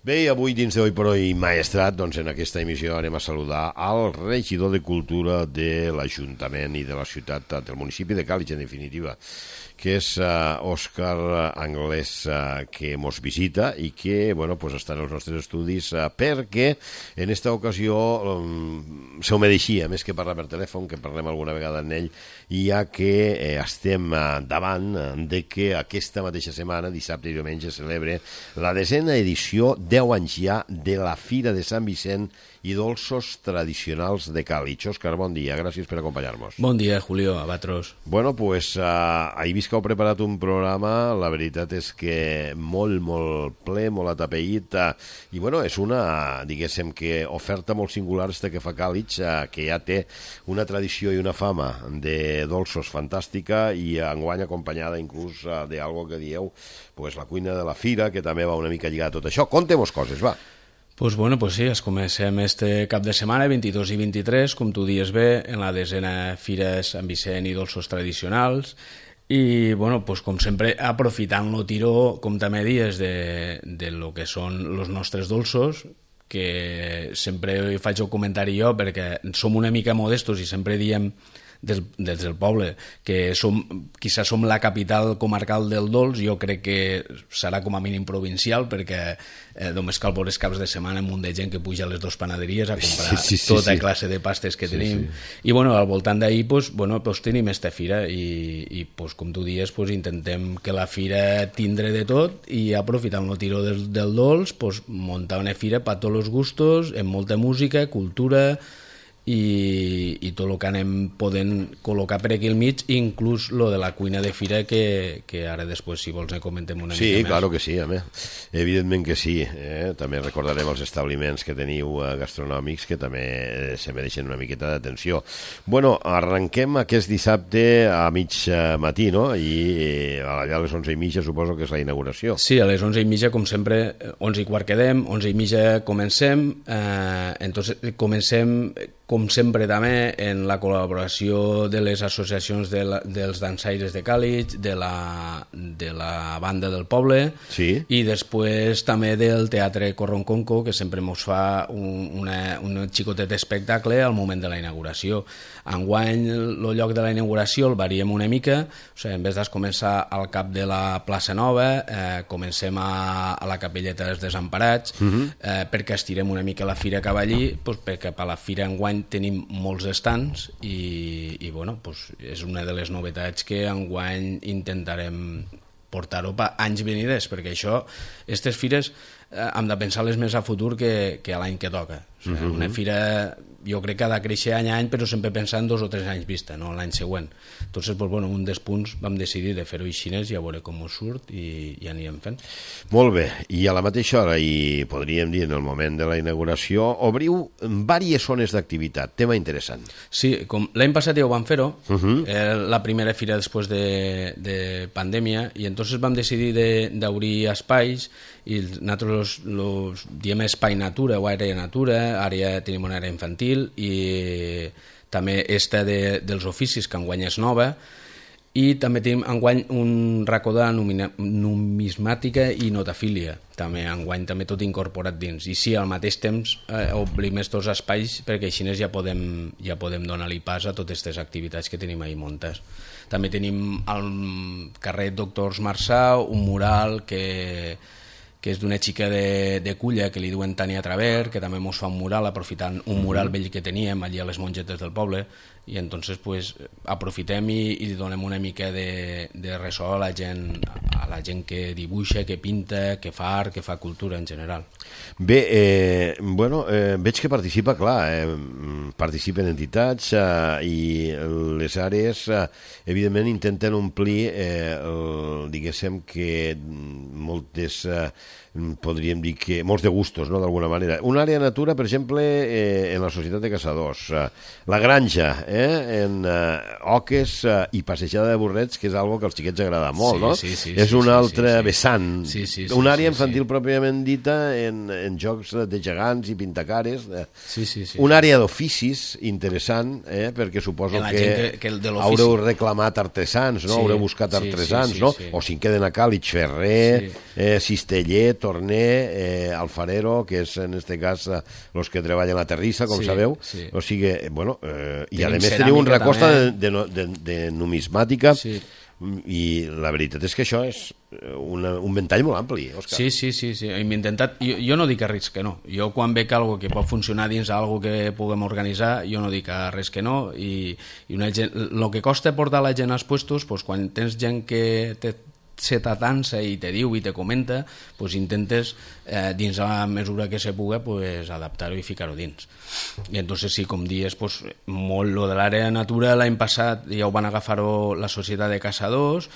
Bé, i avui dins de Hoy por Hoy Maestrat, doncs en aquesta emissió anem a saludar al regidor de Cultura de l'Ajuntament i de la ciutat, del municipi de Càlig, en definitiva, que és Òscar Anglès, que mos visita i que, bueno, pues està en els nostres estudis perquè en esta ocasió se ho mereixia, més que parlar per telèfon, que parlem alguna vegada amb ell, ja que estem davant de que aquesta mateixa setmana, dissabte i diumenge, celebra la 10ª edició, 10 anys ja, de la Fira de Sant Vicent i dolços tradicionals de Càlig. Òscar, bon dia, gràcies per acompanyar-nos. Bon dia, Julio, a vosaltres. Bueno, pues he vist que heu preparat un programa, la veritat és que molt ple, molt atapeït, i bueno, és una, diguéssim, que oferta molt singular esta que fa Càlig, que ja té una tradició i una fama de dolços fantàstica i enguany acompanyada inclús d'algo que dieu, pues la cuina de la fira, que també va una mica lligar a tot això. Contem-nos coses, va. Pues bueno, pues sí, es comencem este cap de setmana, 22 i 23, com tu dies bé, en la 10ª Fira Sant Vicent i dolços tradicionals, i bueno, pues com sempre aprofitant lo tiró, com també dies, de lo que són els nostres dolços, que sempre faig el comentari jo perquè som una mica modestos i sempre diem des del poble que quizás som la capital comarcal del dolç. Jo crec que serà com a mínim provincial, perquè només cal veure els caps de setmana un munt de gent que puja a les 2 panaderies a comprar tota classe de pastes que tenim. I bueno, al voltant d'ahir tenim esta fira i com tu dius, intentem que la fira tindre de tot i aprofitant el tiró del dolç, muntar una fira per tots els gustos, amb molta música, cultura i tot el que anem podent col·locar per aquí al mig, inclús lo de la cuina de fira, que ara després, si vols, comentem una mica més. Sí, claro que sí, evidentment que sí. També recordarem els establiments que teniu gastronòmics, que també se mereixen una miqueta d'atenció. Bueno, arrenquem aquest dissabte a mig matí, no? I allà a les 11:30 suposo que és la inauguració. Sí, a les 11:30, com sempre, 11:15 quedem, 11:30 comencem, entonces comencem com sempre també en la col·laboració de les associacions dels dansaires de Càlig, de la banda del poble, sí, i després també del Teatre Corronconco, que sempre ens fa un xicotet espectacle al moment de la inauguració. Enguany el lloc de la inauguració el variem una mica, o sigui, en vez de començar al cap de la plaça Nova, comencem a la capelleta dels Desemparats, perquè estirem una mica la fira cap allí, perquè per la fira enguany tenim molts estants i bueno, és una de les novetats que enguany intentarem portar-ho per anys venides, perquè aquestes fires hem de pensar-les més a futur que a l'any que toca. O sigui, una fira jo crec que ha de créixer any a any, però sempre pensant 2 o 3 anys vista, no l'any següent. Entonces, bueno, un dels punts vam decidir de fer-ho així i a veure com us surt i ja anirem fent. Molt bé, i a la mateixa hora, i podríem dir en el moment de la inauguració, obriu diverses zones d'activitat, tema interessant. Sí, com l'any passat ja ho vam fer-ho, la primera fira després de pandèmia, i entonces vam decidir d'obrir espais, i nosaltres los diem espai natura o àrea natura, tenim una àrea infantil i també esta dels oficis, que enguany és nova, i també tenim enguany un racó de numismàtica i notafília, també enguany també tot incorporat dins. I sí, al mateix temps obrim estos espais perquè així ja podem donar-li pas a totes aquestes activitats que tenim ahí muntes. També tenim al carrer Doctors Marçà un mural que és d'una xica de Culla que li diuen Tania Traver, que també ens fa un mural aprofitant un mural vell que teníem allà a les mongetes del poble, i entonces aprofitem i donem una mica de ressò a la gent que dibuixa, que pinta, que fa art, que fa cultura en general. Bé, veig que participen entitats i les àrees evidentment intenten omplir diguéssim que moltes podríem dir que molts de gustos, no?, d'alguna manera. Una àrea natura, per exemple, en la Societat de Caçadors, la granja, en oques i passejada de burrets, que és algo que als xiquets agrada molt, no? És un altre vessant. Una àrea infantil pròpiament dita en jocs de gegants i pintacares. Una àrea d'oficis interessant, perquè suposo que haureu reclamat artesans, no? Haureu buscat artesans, no? O si en queden a Càlig, ferrer, cisteller, torner, alfarero, que és en este cas los que treballen la terrissa, com sabeu. O sigui, bueno, i a més teniu un recosta de numismàtica, i la veritat és que això és un ventall molt ampli, Òscar. Sí. Hem intentat, jo no dic a res que no. Jo quan veig algo que pot funcionar dins algo que puguem organitzar, jo no dic a res que no, i el que costa portar la gent als puestos, quan tens gent que se t'atansa i te diu i te comenta, intentes dins la mesura que se pugui adaptar-ho i ficar-ho dins. I entonces sí, com dius, molt lo de l'àrea natura l'any passat ja ho van agafar la Societat de Caçadors,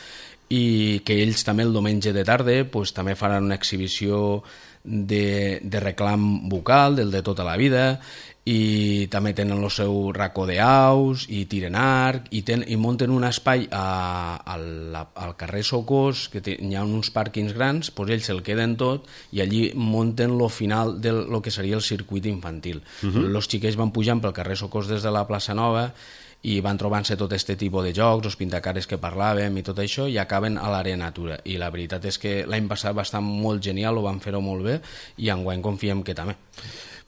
i que ells també el diumenge de tarda també faran una exhibició de reclam vocal, del de tota la vida, i també tenen el seu racó d'aus i tiren arc i munten un espai al carrer Socors, que hi ha uns pàrquings grans, ells se'l queden tot i allí munten el final del que seria el circuit infantil. Els xiquets van pujant pel carrer Socors des de la plaça Nova i van trobant-se tot aquest tipus de jocs, els pintacares que parlàvem i tot això, i acaben a l'àrea natura. I la veritat és que l'any passat va estar molt genial, ho van fer-ho molt bé, i enguany confiem que també.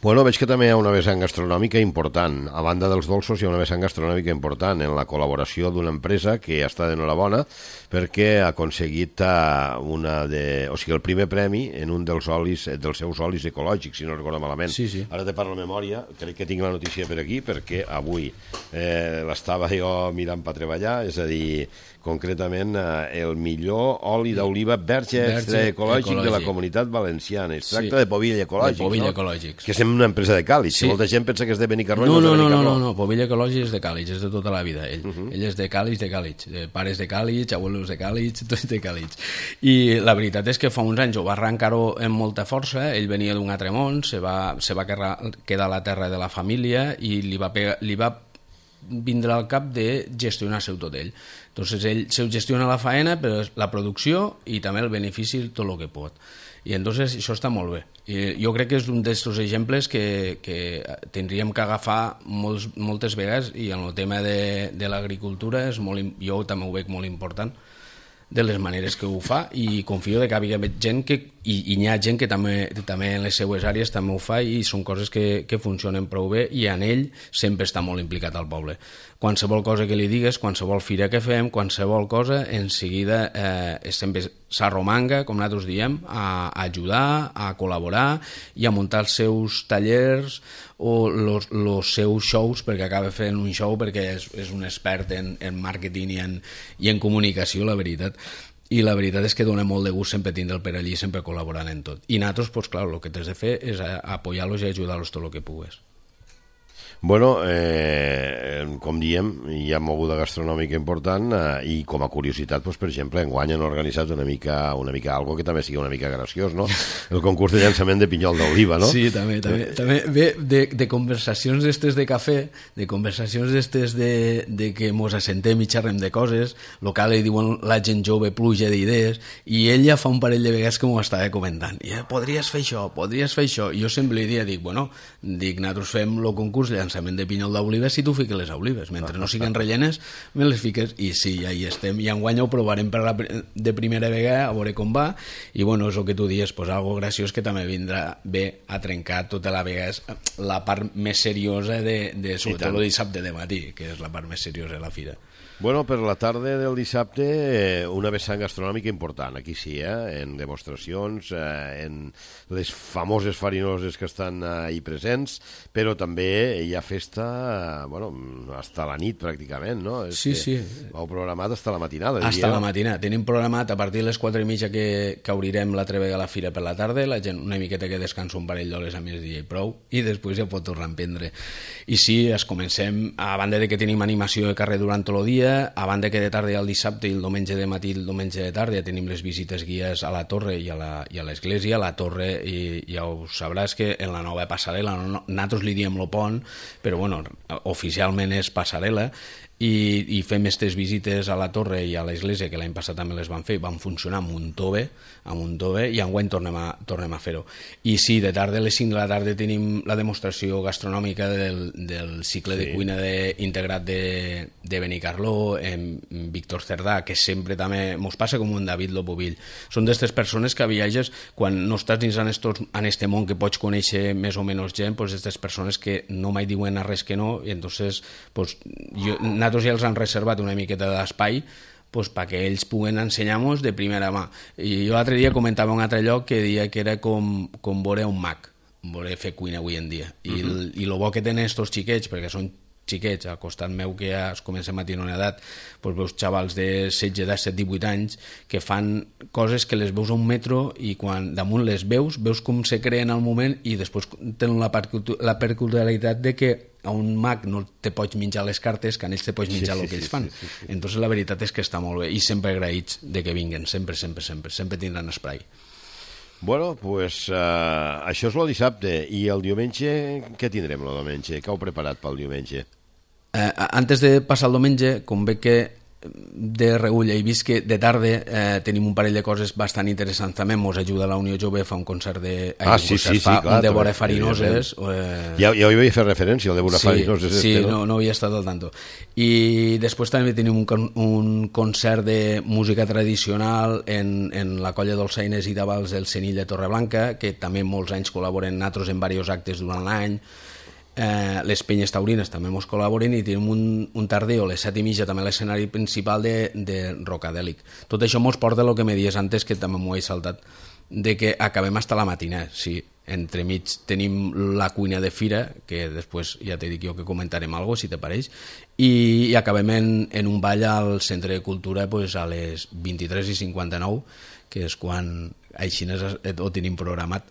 Bueno, veig que també hi ha una vessant gastronòmica important. A banda dels dolços hi ha una vessant gastronòmica important en la col·laboració d'una empresa que està d'enhorabona perquè ha aconseguit el primer premi en un dels seus olis ecològics, si no recordo malament. Sí. Ara te parlo de memòria, crec que tinc la notícia per aquí perquè avui l'estava jo mirant per treballar, és a dir, concretament el millor oli d'oliva verge extra ecològic de la Comunitat Valenciana. Es tracta de Povilla Ecològics, que és una empresa de Càlig. Molta gent pensa que és de Benicarló. No, Povilla Ecològics és de Càlig, és de tota la vida. Ell és de Càlig, pares de Càlig, abuelos de Càlig, tots de Càlig. I la veritat és que fa uns anys ho va arrencar-ho amb molta força. Ell venia d'un altre món, se va quedar a la terra de la família i li va vindre al cap de gestionar-se-ho tot ell. Entonces ell se gestiona la faena, però la producció i també el benefici tot el que pot. I entonces això està molt bé. I jo crec que és un d'aquests exemples que tindríem que agafar moltes vegades, i en el tema de l'agricultura jo també ho veig molt important, de les maneres que ho fa, i confio que hi ha gent i hi ha gent que també en les seues àrees també ho fa, i són coses que funcionen prou bé, i en ell sempre està molt implicat al poble. Qualsevol cosa que li digues, qualsevol fira que fem, qualsevol cosa, en seguida sempre s'arromanga, com nosaltres diem, a ajudar, a col·laborar i a muntar els seus tallers o els seus shows, perquè acaba fent un show perquè és un expert en màrqueting i en comunicació, la veritat. I la veritat és que dona molt de gust sempre tindre'l per allí, sempre col·laborant en tot. I nosaltres, clar, el que t'has de fer és apoyar-los i ajudar-los tot el que pugues. Bueno, com diem, hi ha moguda gastronòmica important, i com a curiositat, per exemple, enguany han organitzat una mica algo que també sigui una mica graciós, no? El concurs de llançament de pinyol d'oliva, no? Sí, també ve de conversacions d'estes de cafè, de conversacions d'estes de que mos assentem i xerrem de coses, el que li diuen la gent jove, pluja d'idees, i ell ja fa un parell de vegades que m'ho estava comentant. Podries fer això. I jo sempre li dic, nosaltres fem el concurs de llançament de pinyol d'olives si tu fiques les olives, mentre no siguin rellenes me les fiques, i sí, ja hi estem, i enguany ho provarem de primera vegada a veure com va, i bueno, és el que tu dius, algo graciós que també vindrà bé a trencar tota la vegada la part més seriosa de sobretot el dissabte de matí, que és la part més seriosa de la fira. Bueno, per la tarda del dissabte una vessant gastronòmica important, aquí sí, en demostracions, en les famoses farinoses que estan ahí presents, però també hi ha festa, hasta la nit pràcticament, no? Sí. Heu programat hasta la matinada. Hasta la matinada. Tenim programat a partir de les 4:30 que obrirem l'altra vegada la fira per la tarda, la gent una miqueta que descansa un parell d'hores a migdia i prou, i després ja pot tornar a emprendre. I sí, comencem, a banda de que tenim animació de carrer durant tot el dia, a banda que de tarda el dissabte i el diumenge de matí i el diumenge de tarda ja tenim les visites guies a la torre i a l'església. A la torre, i ja ho sabràs, que en la nova passarel·la nosaltres li diem lo pont però bueno, oficialment és passarel·la, i fem aquestes visites a la torre i a l'església, que l'any passat també les van fer, van funcionar amb un tove, i enguany tornem a fer-ho. I sí, de tarda, a les 5 de la tarda, tenim la demostració gastronòmica del cicle de cuina integrat de Benicarló, amb Víctor Cerdà, que sempre també mos passa com un David Lopovill. Són d'aquestes persones que viatges, quan no estàs dins en este món que pots conèixer més o menys gent, pues aquestes persones que no mai diuen a res que no, i entonces pues, nosaltres ja els han reservat una miqueta d'espai pues, perquè ells puguen ensenyar-nos de primera mà. I jo l'altre dia comentava un altre lloc que deia que era com veure un mag, veure fer cuina avui en dia. I el bo que tenen estos xiquets, perquè són xiquets, al costat meu que ja es comencem a tenir una edat, doncs veus xavals de 16, 17, 18 anys que fan coses que les veus a un metro i quan damunt les veus com se creen al moment i després tenen la peculiaritat de que a un mag no te pots menjar les cartes, que a ells te pots menjar el que ells fan. Entonces la veritat és que està molt bé i sempre agraïts de que vinguen, sempre tindran espai. Bueno, pues això és el dissabte. I el diumenge, què tindrem el diumenge? Què heu preparat pel diumenge? Antes de passar el diumenge, com veig que de reull he vist que de tarda tenim un parell de coses bastant interessants també. Mos ajuda la Unió Jove, fa un concert de... clar, de vora farinoses. Ja hi havia fet referència, el de vora farinoses. Sí, no havia estat al tanto. I després també tenim un concert de música tradicional en la colla dolçaines i d'avals del Cenill de Torreblanca, que també molts anys col·laboren nosaltres en diversos actes durant l'any. Les penyes taurines també ens col·laboren i tenim un tardeo a les 7:30 també a l'escenari principal de Rocadèlic. Tot això ens porta a lo que me dies antes, que també m'ho he saltat, de que acabem hasta la matina. Sí, entremig tenim la cuina de fira, que després ja t'he dit jo que comentarem alguna cosa, si te pareix, i acabem en un ball al Centre de Cultura pues, a les 23:59, que és quan així ho tenim programat.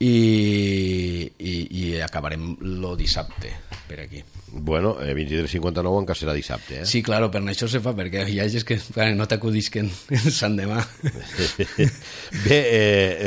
I acabarem lo dissabte per aquí. Bueno, 23:59 encara serà dissabte, eh? Sí, claro, per això se fa, perquè hi ha gent que no t'acudisquen Sant Demà. Bé,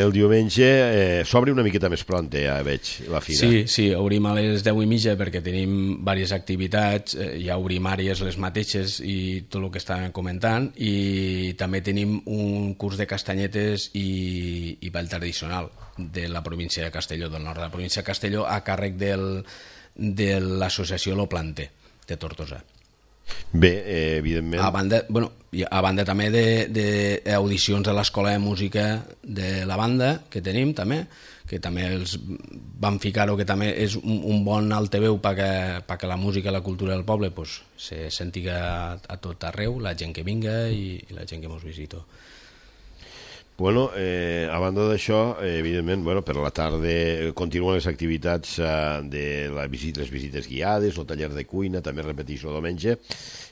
el diumenge s'obre una miqueta més pront, ja veig, la fira. Sí, obrim a les 10:30 perquè tenim diverses activitats, ja obrim àrees les mateixes i tot el que estàvem comentant, i també tenim un curs de castanyetes i ball tradicional de la província de Castelló, del nord de la província de Castelló, a càrrec de l'associació Lo Planter, de Tortosa. Bé, evidentment... A banda també d'audicions a l'Escola de Música de la banda, que tenim també, que també els van ficar-ho, que també és un bon altaveu perquè la música i la cultura del poble pues, se sentiga a tot arreu, la gent que vinga i la gent que ens visita. Bueno, a banda d'això, evidentment, per la tarda continuen les activitats de les visites guiades, el taller de cuina, també repeteix el diumenge,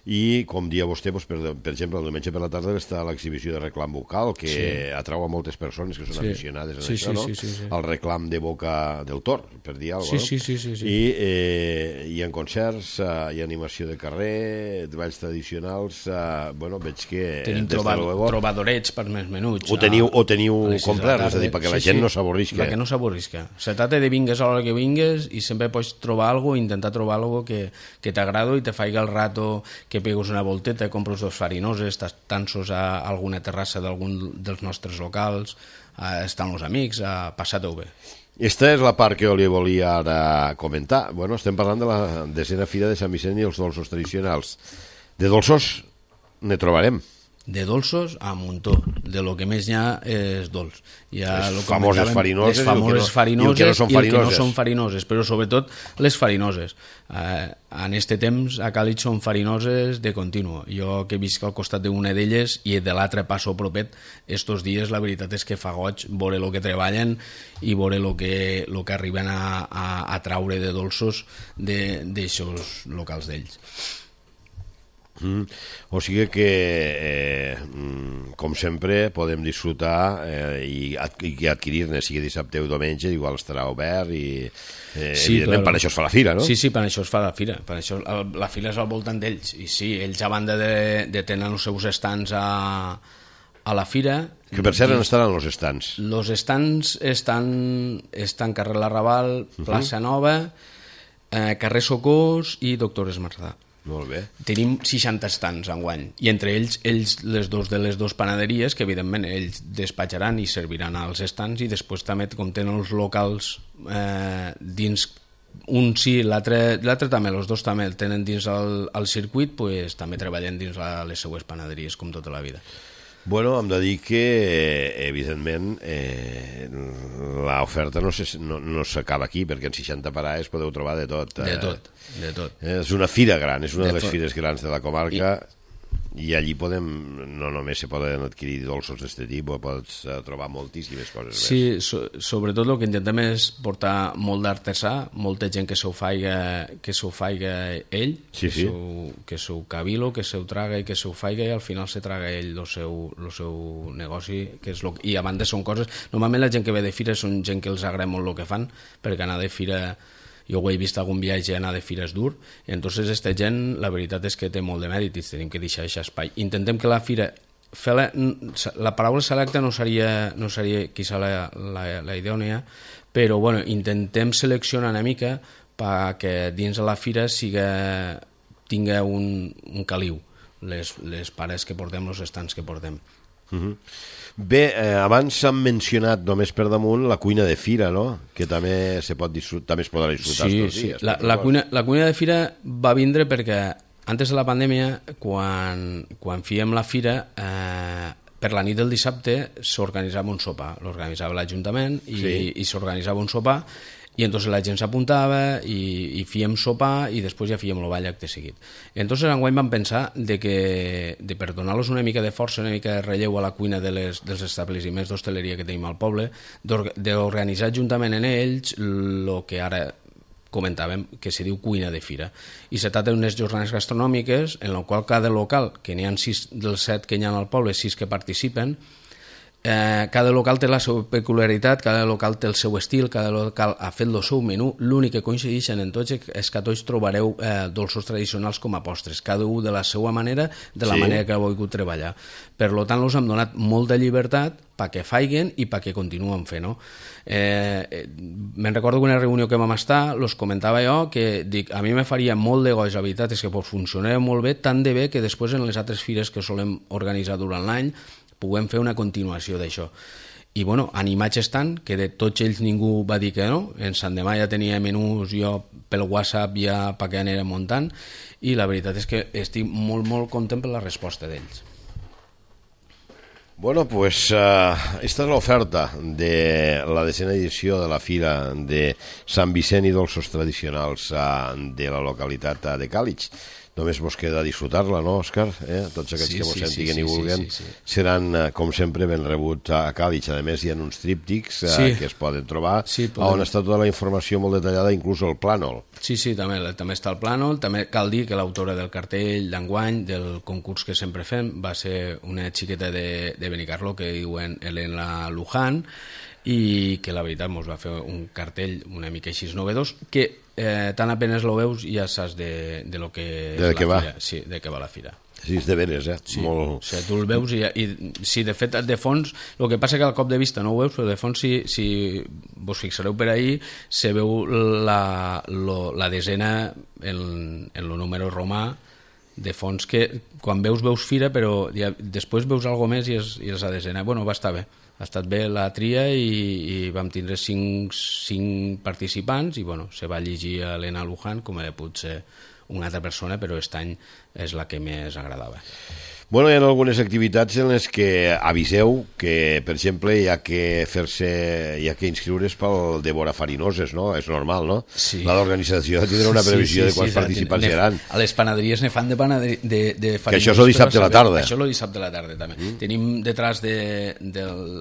i com dia vostè, per exemple, el diumenge per la tarda està l'exhibició de reclam vocal, que atrau a moltes persones que són aficionades a això, no? El reclam de boca del tor, per dir alguna cosa. Sí. I hi ha concerts, hi ha animació de carrer, de balls tradicionals, veig que... Tenim trobadorets per més menuts. O teniu comprar, és a dir, perquè la gent no s'avorrisca. Perquè no s'avorrisca. Se trata de vingues a l'hora que vingues i sempre pots trobar alguna cosa, intentar trobar alguna cosa que t'agrada i te faiga el rato, que pegues una volteta, compres dos farinoses, t'ansos a alguna terrassa d'algun dels nostres locals, estan els amics, passar-ho bé. Esta és la part que jo li volia ara comentar. Estem parlant de la 10a Fira de Sant Vicent i els dolços tradicionals. De dolços ne trobarem. De dolços a muntó, de lo que més n'hi ha és dolç. Les famoses farinoses, les famoses farinoses i el que no són farinoses, però sobretot les farinoses. En este temps a Càlig són farinoses de continu. Jo que visc al costat d'una d'elles i de l'altre passo propet, estos dies la veritat és que fa goig veure el que treballen i veure el que arriben a traure de dolços d'aixòs locals d'ells. O sigui que com sempre podem disfrutar i adquirir-ne, sigui dissabte o diumenge, igual estarà obert i evidentment per això es fa la fira, no? Sí, per això es fa la fira, per això la fira és al voltant d'ells, i sí, ells a banda de tenir els seus estants a la fira... Que per cert, on estaran els estants? Els estants estan carrer Larrabal, Plaça Nova, Carrer Socors i Doctor Esmarzà. Molt bé. Tenim 60 estants enguany, i entre ells les dues panaderies, que evidentment ells despatxaran i serviran als estants, i després també, com tenen els locals dins, un sí, l'altre també, els dos també el tenen dins el circuit, pues, també treballen dins les seues panaderies, com tota la vida. Bueno, hem de dir que, evidentment, l'oferta no s'acaba aquí, perquè en 60 parades podeu trobar de tot. De tot. És una fira gran, és una de les fires grans de la comarca, i allí no només se poden adquirir dolços d'aquest tipus, pots trobar moltíssimes coses més. Sí, sobretot el que intentem és portar molt d'artesà, molta gent que s'ho faiga ell, que s'ho cavilo, que s'ho traga i que s'ho faiga, i al final se traga ell el seu negoci, i a banda són coses... Normalment la gent que ve de fira són gent que els agrada molt el que fan, perquè anar de fira... Jo ho he vist algun viatge, anar de fira és dur, i entonces aquesta gent, la veritat és que té molt de mèrit i tenim que deixar aquest espai. Intentem que la fira... La paraula selecta no seria quizá la idònia, però bueno, intentem seleccionar una mica perquè dins de la fira tinga un caliu, les pares que portem, els estants que portem. Bé, abans s'han mencionat només per damunt la cuina de fira, no? Que també es podrà disfrutar estos dies. La cuina de fira va vindre perquè antes de la pandèmia, quan fèiem la fira, per la nit del dissabte s'organitzava un sopar, l'organitzava l'Ajuntament i s'organitzava un sopar, i entonces la gent s'apuntava i fèiem sopar i després ja fèiem el ball acte seguit. Entonces enguany vam pensar per donar-los una mica de força, una mica de relleu a la cuina dels establiments d'hostaleria que tenim al poble, d'organitzar juntament en ells el que ara comentàvem, que se diu cuina de fira. I se tracta d'unes jornades gastronòmiques en la qual cada local, que n'hi ha 6 dels 7 que hi ha al poble, 6 que participen, cada local té la seva peculiaritat, cada local té el seu estil, cada local ha fet el seu menú. L'únic que coincideixen en tots és que a tots trobareu dolços tradicionals com a postres, cada un de la seva manera, de la manera que ha volgut treballar. Per tant, els hem donat molta llibertat perquè faiguen i perquè continuen fent. Me'n recordo una reunió que vam estar, els comentava jo, que dic, a mi me faria molt de goig, la veritat és que funcionava molt bé, tant de bé que després en les altres fires que solem organitzar durant l'any puguem fer una continuació d'això. I bueno, animats estan, que de tots ells ningú va dir que no. En Sant Demà ja tenia menús, jo pel WhatsApp ja perquè anirem muntant, i la veritat és que estic molt, molt content per la resposta d'ells. Bueno, pues esta és l'oferta de la 10ª edició de la Fira de Sant Vicent i Dolços Tradicionals de la localitat de Càlig. Només vos queda disfrutar-la, no, Òscar? Tots aquests que vos sentiguen i vulguen seran, com sempre, ben rebuts a Càlig. A més, hi ha uns tríptics que es poden trobar, on està tota la informació molt detallada, inclús el plànol. Sí, també està el plànol. També cal dir que l'autora del cartell d'enguany, del concurs que sempre fem, va ser una xiqueta de Benicarló que diuen Elena Luján, i que la veritat ens va fer un cartell una mica així novedós, que tan apenas lo veus ja saps de lo que és la fira. Sí, de què va la fira. Sí, és de veres, Sí, molt... O sigui, tu el veus i sí, de fet, de fons, el que passa que al cop de vista no ho veus, però de fons, si vos fixareu per ahir, se veu la desena en el número romà de fons, que quan veus fira, però després veus alguna més i és la desena. Bueno, va estar bé. Ha estat bé la tria i vam tindre 5 participants i bueno, se va llegir a Elena Luján com a potser una altra persona, però aquest any és la que més agradava. Bueno, hi ha algunes activitats en les que aviseu que, per exemple, hi ha que inscriure's pel Devora Farinoses, no? És normal, no? Sí. L'organització tindrà una previsió de quants participants hi haran. A les panaderies ne fan de farinoses. Que això és el dissabte a la tarda. Això és el dissabte a la tarda, també. Tenim detrás de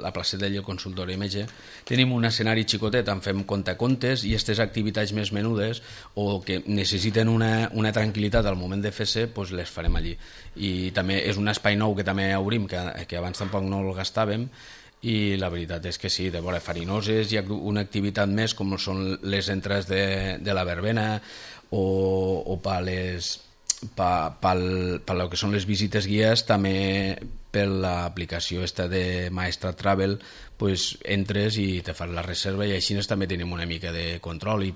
la placeta del consultori metge, tenim un escenari xicotet on fem contacontes i aquestes activitats més menudes o que necessiten una tranquil·litat al moment de fer-se, doncs les farem allí. I també és un espai nou que també obrim, que abans tampoc no el gastàvem, i la veritat és que sí, de vora farinoses hi ha una activitat més com són les entrades de la verbena o pel que són les visites guies, també per l'aplicació esta de Maestrat Travel, pues, entres i te fas la reserva, i així també tenim una mica de control i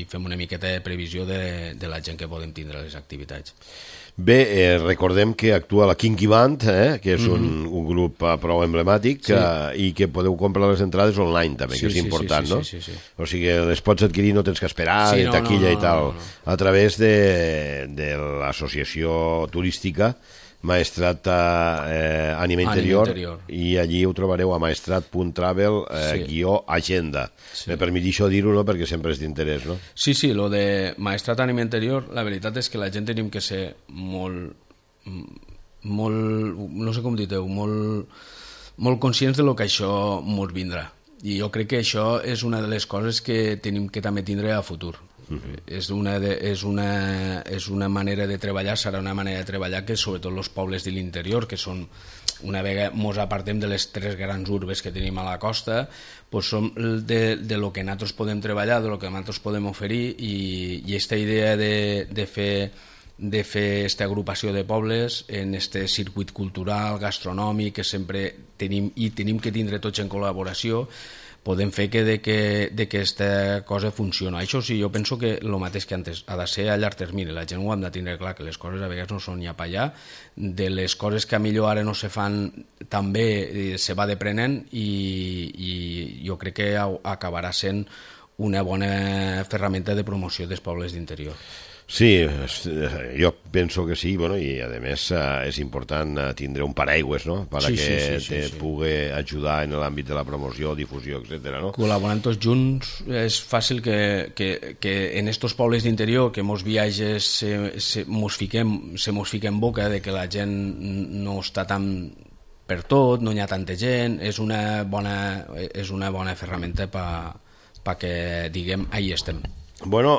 fem una miqueta de previsió de la gent que podem tindre a les activitats. Bé, recordem que actua la Kinky Band, que és un grup prou emblemàtic, i que podeu comprar les entrades online també, que és important, no? Sí. O sigui, les pots adquirir, no tens que esperar, de taquilla i tal, a través de l'associació turística Maestrat Ànima Interior, i allí ho trobareu a maestrat.travel-agenda. Me permetixo dir-ho, no?, perquè sempre és d'interès, no? Sí, lo de Maestrat Ànima Interior, la veritat és que la gent tenim que ser molt, no sé com dir-ho, molt conscients de lo que això ens vindrà. I jo crec que això és una de les coses que tenim que també tindre a futur. És una manera de treballar, serà una manera de treballar que sobretot els pobles de l'interior, que són, una vegada ens apartem de les 3 grans urbes que tenim a la costa, pues som de lo que nosaltres podem treballar, de lo que nosaltres podem oferir, i aquesta idea de fer aquesta agrupació de pobles en este circuit cultural, gastronòmic, que sempre tenim que tindre tots en col·laboració, podem fer que aquesta cosa funciona. Això sí, jo penso que el mateix que antes ha de ser a llarg termini. La gent ho hem de tindre clar, que les coses a vegades no són ja per allà, de les coses que a millor ara no se fan tan bé se va deprenent, i jo crec que acabarà sent una bona ferramenta de promoció dels pobles d'interior. Sí, jo penso que sí, bueno, i a més és important tindre un paraigües, no?, perquè te pugui ajudar en l'àmbit de la promoció, difusió, etc. no? Col·laborant tots junts és fàcil que en estos pobles d'interior, que molts viatges se mos fiquem boca de que la gent no està tan per tot, no hi ha tanta gent, és una bona ferramenta perquè diguem, ahí estem. Bueno,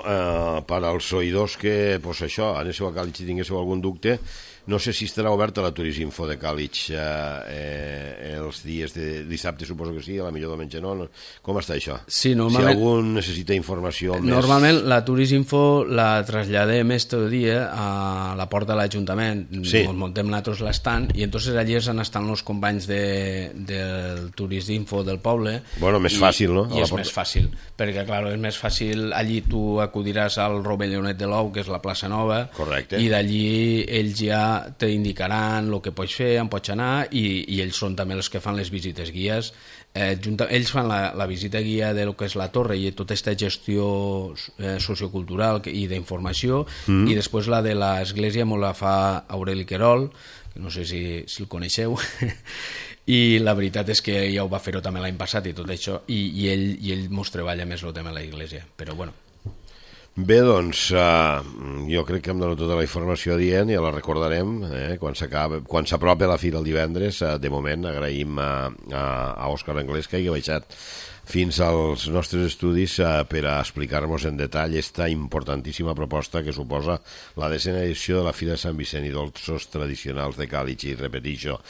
per als oïdors que, pues això, anéssiu a Càlig i tinguéssiu algun dubte, no sé si estarà oberta la Turisminfo de Càlig els dies de dissabte, suposo que sí, a la millor diumenge no. Com està això? Sí, normalment... Si algú necessita informació més... Normalment la Turisminfo la traslladem este dia a la porta de l'Ajuntament, ens muntem nosaltres l'estant, i entonces allí estan els companys del Turisminfo del poble. Bueno, més fàcil, no? I és més fàcil, perquè, clar, és més fàcil, allí tu acudiràs al Rovellionet de l'Ou, que és la plaça Nova, correcte, i d'allí ells ja t'indicaran el que pots fer, on pots anar, i ells són també els que fan les visites guies. Ells fan la visita guia de lo que és la torre i tota aquesta gestió sociocultural i d'informació, i després la de l'església me la fa Aureli Querol, que no sé si el coneixeu, i la veritat és que ja ho va fer-ho també l'any passat i tot això, i ell mos treballa més el tema de l'església, però bueno. Bé, doncs, jo crec que hem donat tota la informació adient, ja la recordarem quan s'apropi la fira el divendres. De moment agraïm a Òscar Anglès que hagi baixat fins als nostres estudis per a explicar-nos en detall esta importantíssima proposta que suposa la 10ª edició de la Fira de Sant Vicent i Dolços Tradicionals de Càlig. I repeteixo,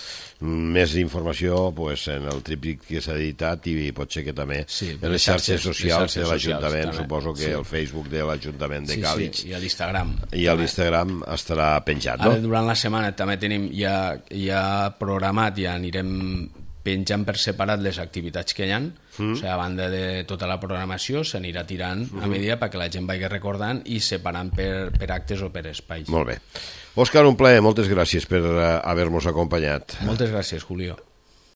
més informació en el tríptic que s'ha editat, i pot ser que també en les xarxes socials de l'Ajuntament, suposo que el Facebook de l'Ajuntament de Càlig i a l'Instagram. I a l'Instagram estarà penjat, no? Ara durant la setmana també tenim ja programat, ja anirem penjant per separat les activitats que hi ha, o sigui, a banda de tota la programació s'anirà tirant a medida perquè la gent vagi recordant i separant per actes o per espais. Molt bé. Òscar, un plaer, moltes gràcies per haver-nos acompanyat. Moltes gràcies, Julio.